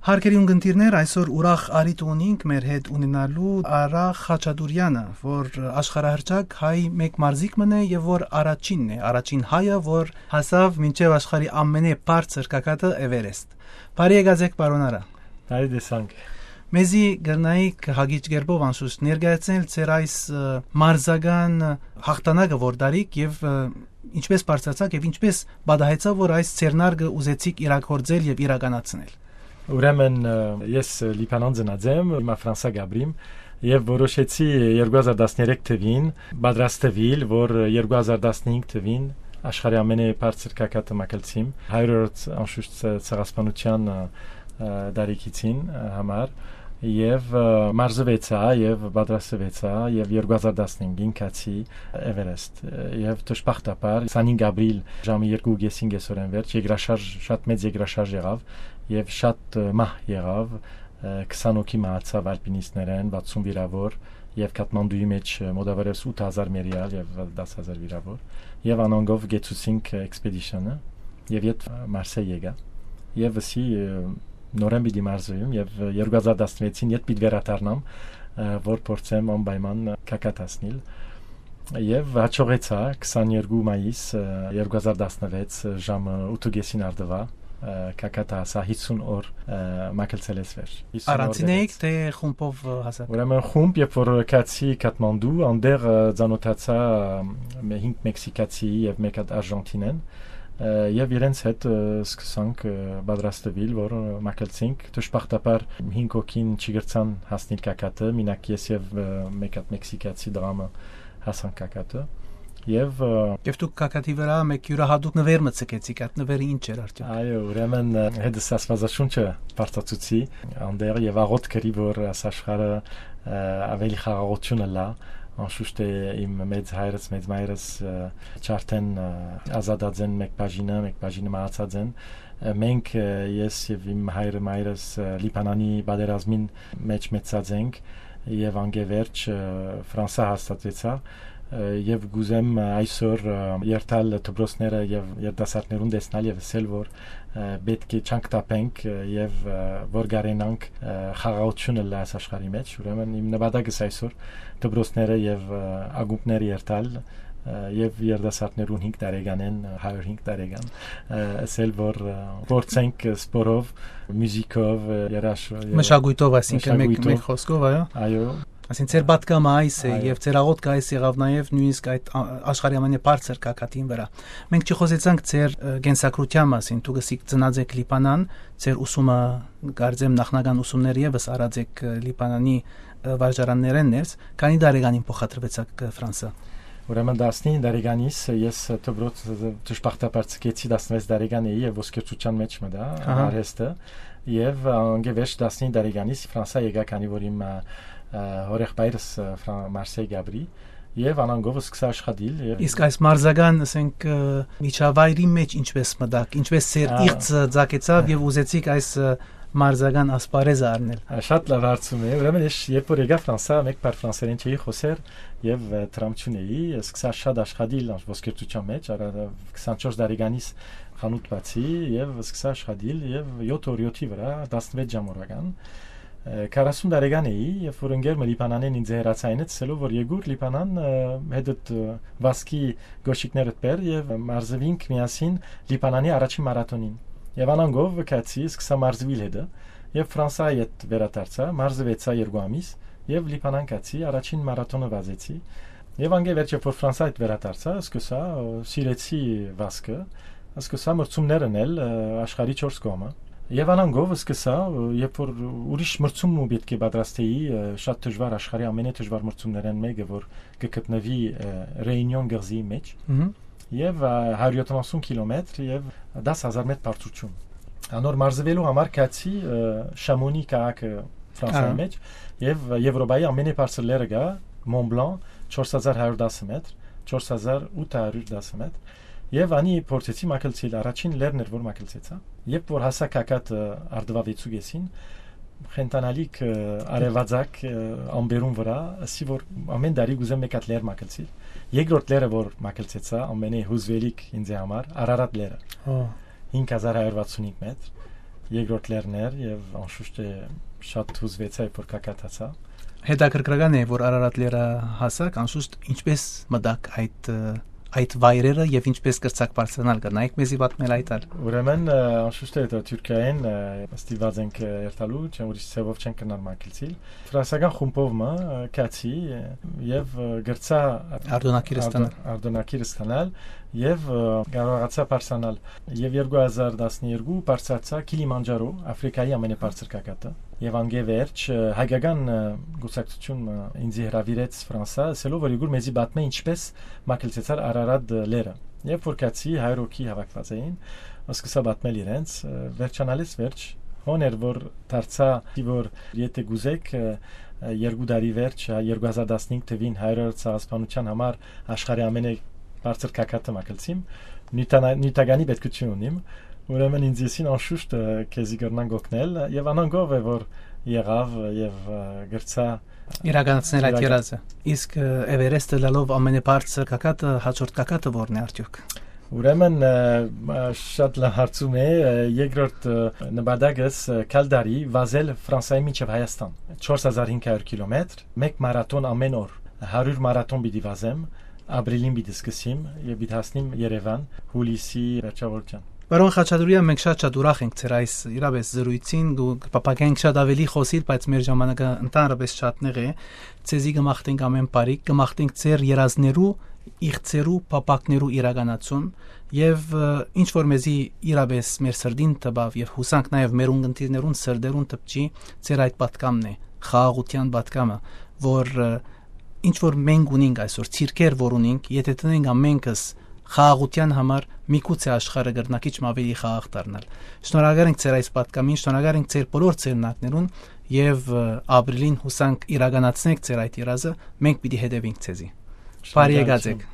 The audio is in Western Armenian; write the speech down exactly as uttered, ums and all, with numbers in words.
Հարգելի ունգընտիրներ, այսօր ուրախ առիթ ունինք մեր հետ ունենալու Արա Խաչատուրեանը, որ աշխարհահռչակ հայ մէկ մարզիկ մըն է եւ որ առաջինն է, առաջին հայը, որ հասաւ մինչեւ աշխարհի ամենէ բարձր կակատը՝ Էվերեստ։ Բարի եկած եք, պարոն Արա։ Բարի տեսանք։ Մեզի կրնայիք հագիչ կերպով անշուշտ ներկայացնել ձեր այս, ը, մարզական հաղթանակը, որ դարիք եւ, ը, ինչպես բարձրացաք եւ ինչպես պատահեցաւ, որ այս ձեռնարկը ուզեցիք իրագործել եւ իրականացնել։ Ուրեմն, ը, ես, ը, Լիբանան ծնած եմ, հիմա Ֆրանսա կ'ապրիմ, եւ որոշեցի երկու հազար տասներեք թվին պատրաստվել, որ երկու հազար տասնհինգ թվին աշխարհի ամենէ բարձր կակատը մագլցիմ, հարիւրորդ անշուշտ ցը-, ցեղասպանութեան, ը, ը, տարիքիցին, ը, համար, եւ, ը, մարզուեցայ, եւ պատրաստուեցայ, եւ երկու հազար տասնհինգին գացի Էվերեստ, ը, եւ դժբախտաբար քսանհինգ ապրիլ ժամը երկու կեսին կեսօրէն վերջ եգրաշարժ, շատ մեծ եգրաշարժ եղաւ, եւ շատ, ը, մահ եղաւ, ը, քսան հոգի մահացաւ ալպինիստներէն, վաթսուն վիրաւոր, եւ Կաթմանդուի մէջ, ը, մօտավերևս ութ հազար մեռեալ եւ տաս հազար վիրաւոր, եւ անոնցով կեցուցինք, ը, էքսպեդիշնը, եւ յետ, ը, Մարսեյ եկայ, եւ ըսի, ը, նորէն պիտի մարզուեմ, եւ, ը, երկու հազար տասնվեցին յետ պիտի վերադառնամ, ը, որ փորձեմ անպայման կակատ հասնիլ։ Եւ յաջողեցայ, քսաներկու մայիս, ը, երկու հազար տասնվեց, ը, ժամը ութ կեսին առտուայ, ը, կակատը հասայ, հիսուն օր, ը, մագլցելէս վեր։ Հիսուն օր Առանձին էիք, դրեց։ Թէ խումբով, ը, հասաք։ Ուրեմն խումբ, երբ որ գացի Կաթմանդու, անտեղ, ը, ծանօթացայ, ը, մէ-, հինգ մեքսիկացի եւ մէկ հատ արժանթինեն, ը, եւ իրենց հետ, ը, սկսանք, ը, պատրաստվել, որ, ը, մագլցենք։ Դժբախտաբար հինգ հոգին չի կրցան հասնիլ կակատը, մինակ ես եւ, ը, մէկ հատ մեքսիկացի դրամը հասանք կակատը, եւ, ը, Եւ դուք կակատի վրայ մէկ իւրահատուկ նուէր մը ցկեցիք, այդ նուէրը ի՞նչ էր արդեօք։ Այո, ուրեմն, ը, հետս Աստուածաշունչը բարձրացուցի անտեղ եւ աղօթք կրի, որ այս աշխարհը, ը, աւելի խաղաղութիւն ըլլայ, անշուշտ է իմ մեծ հայրս, մեծ մայրս, ը, ջարդէն, ը, ազատած են մէկ բաժինը, մէկ բաժինը մահացած են, ը, մենք, ը, ես եւ իմ հայրը, մայրս, ը, Լիբանանի պատերազմին մէջ մեծացած ենք, եւ անկէ վերջ, ը, Ֆրանսա հաստատուեցայ, ը, եւ կ'ուզեմ, ը, այսօր, ը, երթալ դպրոցները եւ երիտասարդներուն տեսնալ եւ ըսել, որ, ը, պէտք է չանք թափենք, ը, եւ, ը, որ կարենանք, ը, խաղաղութիւն ըլլայ այս աշխարհի մէջ։ Ուրեմն իմ նպատակս այսօր դպրոցները եւ, ը, ակումբները երթալ, ը, եւ երիտասարդներուն հինգ տարեկանէն, ը, հարիւր հինգ տարեկան, ը, ըսել, որ, ը, փորձենք, ը, սպորով, մյուզիքով, ը, երաշ-, ը, Մշակոյթով, այսինքն, մեկ, մշակոյթով։ Մեկ խօսքով, այո։ Այո։ Այսինքն, ձեր պատկամը այս է, այո, եւ ձեր աղօթքը այս եղաւ նաեւ նոյնիսկ այդ ա-, աշխարհի ամենէ բարձր կակատին վրայ։ Մենք չխօսեցանք ձեր, ը, կենսագրութեան մասին, դուք ըսիք ծնած եք Լիբանան, ձեր ուսումը կարծեմ նախնական ուսումները եւս արած եք, ը, Լիբանանի, ը, վարժարաններէն ներս, քանի տարեկանին փոխադրուեցաք, ը, Ֆրանսա։ Ուրեմն տասնինը տարեկանիս ես դպրոց, դժբախտաբար ցկեցի, տասնվեց տարեկան էի եւ ոսկերչութեան մէջ մտայ, Ահա։ Արհեստը, եւ անկէ վերջ տասնինը տարեկանիս Ֆրանսա եկայ, քանի որ իմ, ը, ը, հօրեղբայրս, ը, Ֆրան-, Մարսեյ կ'ապրի, եւ անոնցով սկսա աշխատիլ, եւ Իսկ այս մարզական, ասենք, ը, միջավայրի մէջ ինչպես մտաք, ինչպես ձեր Ա։ իղձը ծագեցաւ եւ ուզեցիք այս, ը, մարզական ասպարեզը առնել։ Ա, շատ լավ հարցում է։ Ուրեմն ես երբ որ եկայ Ֆրանսա, մէկ բառ ֆրանսերեն չէի խօսեր եւ, ը, տրամչուն էի, սկսա շատ աշխատիլ ոսկերչութեան մէջ, արա-, քսանչորս տարեկանիս խանութ բացի եւ սկսա աշխատիլ, եւ յոթ օր յոթի վրայ, տասնվեց ժամ օրական, ը, քառասուն տարեկան էի, երբ որ ընկեր մը Լիբանանէն ինձ հեռացայ, ասելով որ եկուր Լիբանան, ը, հետդ, ը, վազքի կոշիկներդ բեր, եւ մարզվինք միասին Լիբանանի առաջին մարաթոնին։ Եւ անոնցով գացի, սկսա մարզուիլ հետը, եւ Ֆրանսայի հետ վերադարձա, մարզուեցա երկու ամիս, եւ Լիբանան գացի, առաջին մարաթոնը վազեցի, եւ անկէ վերջ, երբ որ Ֆրանսայի հետ վերադարձա, սկսա, ը, սիրեցի վազքը, սկսա մրցումներ ընել, ը, աշխարհի չորս կողմը։ Եւ անոնցով սկսա, ը, երբ որ ուրիշ մրցում մը պէտք է պատրաստեի, ը, շատ դժուար, աշխարհի ամենէ դժուար մրցումներէն մէկը, որ կը գտնուի, ը, Ռեյունիոն կղզիի մէջ, Մհմ։ եւ, ը, հարիւր յոթանասուն կիլոմեթր եւ տաս հազար մէթր բարձրութիւն։ Անոր մարզուելու համար գացի, ը, Շամոնի քաղաքը Ֆրանսայի Ահա։ մէջ, եւ Եվրոպայի ամենէ բարձր լեռը կայ, Մոնբլան, չորս հազար հարիւր տասը մէթր, չորս հազար ութ հարիւր տասը մէթր, եւ անի փորձեցի մագլցիլ, առաջին լեռն էր, որ մագլցեցայ։ Երբ որ հասա կակատ, ը, առտվա վեցուկեսին, խենթանալիք, ը, արեւածագ, ը, ամպերուն վրայ, ասի որ ամէն տարի կ'ուզեմ մէկ հատ լեռ մագլցիլ։ Երկրորդ լեռը, որ մագլցեցայ, ամենէ հուզուելիք ինձ համար, Արարատ լեռը։ Ահա։ հինգ հազար հարիւր վաթսուն հինգ մէթր։ երկրորդ լեռներ եւ անշուշտ է շատ հուզվեցայ, որ կակատացա։ Հետաքրքրական է, որ Արարատ լեռը հասակ, անշուշտ ինչպես մտաք այդ, ը, այդ վայրերը եւ ինչպես կրցակ բարձրանալ, կրնայիք մեզի պատմել այդ ալ։ Ուրեմն, ը, անշուշտ է, դա Թուրքիայէն, ը, ստիպված ենք, ը, երթալու, չեմ ուրիշ ձևով չենք կրնար մագլցիլ։ Ֆրանսական խումբով մը, ը, գացի, ը, եւ, ը, գրցա Արտոնակիր Արտո-, ստանալ։ Արտոնակիր ստանալ եւ, ը, կարողացա բարձրանալ եւ երկու հազար տասներկու բարձրացա Քիլիմանջարո, Աֆրիկայի ամենաբարձր կակատը։ Եւ անգե վերջ, ը, հայկական, ը, կուսակցություն մը ինձի հրավիրեց Ֆրանսա, ասելով որ եկուր մեզի պատմէ ինչպես մագլցեցար Արարատ լեռը։ Երբ որ գացի, հայր հոգի հավաքված էին, սկսա պատմել իրենց, ը, վերջանալիս վերջ, հոն էր որ դարձա, որ եթե կուզեք, ը, ը, երկու տարի վերջ, ը, երկու հազար տասնհինգ թվին հայրը ցեղասպանության համար աշխարհի ամենը բարձր կակատը մագլցիմ, նիւթանա-, նիւթականի պետքութիւն ունիմ, ուրեմն ինձ եսին անշուշտ, ը, քեզի կրնանք օգնել, եւ անանգով է որ եղավ, ը, եւ, ը, գրցա իրականացնել այդ իրական- երազը։ Իսկ, ը, Էվերեստը լալով ամենաբարձր կակատը, հաջորդ կակատը ո՞րն է արդյոք։ Ուրեմն, ը, ը, շատ լավ հարցում է, ը, երկրորդ, ը, նպատակս, ը, գալ տարի վազել Ֆրանսայի մինչև Հայաստան, չորս հազար հինգ հարյուր կիլոմետր, մեկ մարաթոն ամեն օր, հարիւր մարաթոն պիտի վազեմ, ապրիլին պիտի սկսեմ եւ պիտի հասնեմ Երեւան հուլիսի վերջավորության։ Պարոն Խաչատուրեան, մենք շատ շատ ուրախ ենք ձեր այս իրապէս զրույցին, դու կփափագենք շատ ավելի խօսիլ, բայց մեր ժամանակը ընդհանրապես շատ նեղ է։ Ձեզի կը մաղթենք ամեն բարիք, կը մաղթենք ձեր երազներու, իղձերու, փափաքներու իրականացում եւ, ը, ինչ որ մեզի իրապէս մեր սրտին տպաւ եւ յուսանք նաեւ մեր ունկնդիրներուն սրտերուն տպչի, ձեր այդ պատկամն է, խաղաղության պատկամը, որ, ը, ինչ որ մենք ունենք այսօր, ցիրքեր որ ունենք, եթե տնենք ամենքս խաղաղության համար, միգուցե աշխարհը կրնա քիչ մը ավելի խաղաղ դառնալ։ Շնորհակալ ենք ձեր այս պատկամին, շնորհակալ ենք ձեր բոլոր ձեռնարկներուն եւ, ը, ապրիլին յուսանք իրականացնեք ձեր այդ երազը, մենք պիտի հետեւենք ձեզի։ Բարի եկած եք։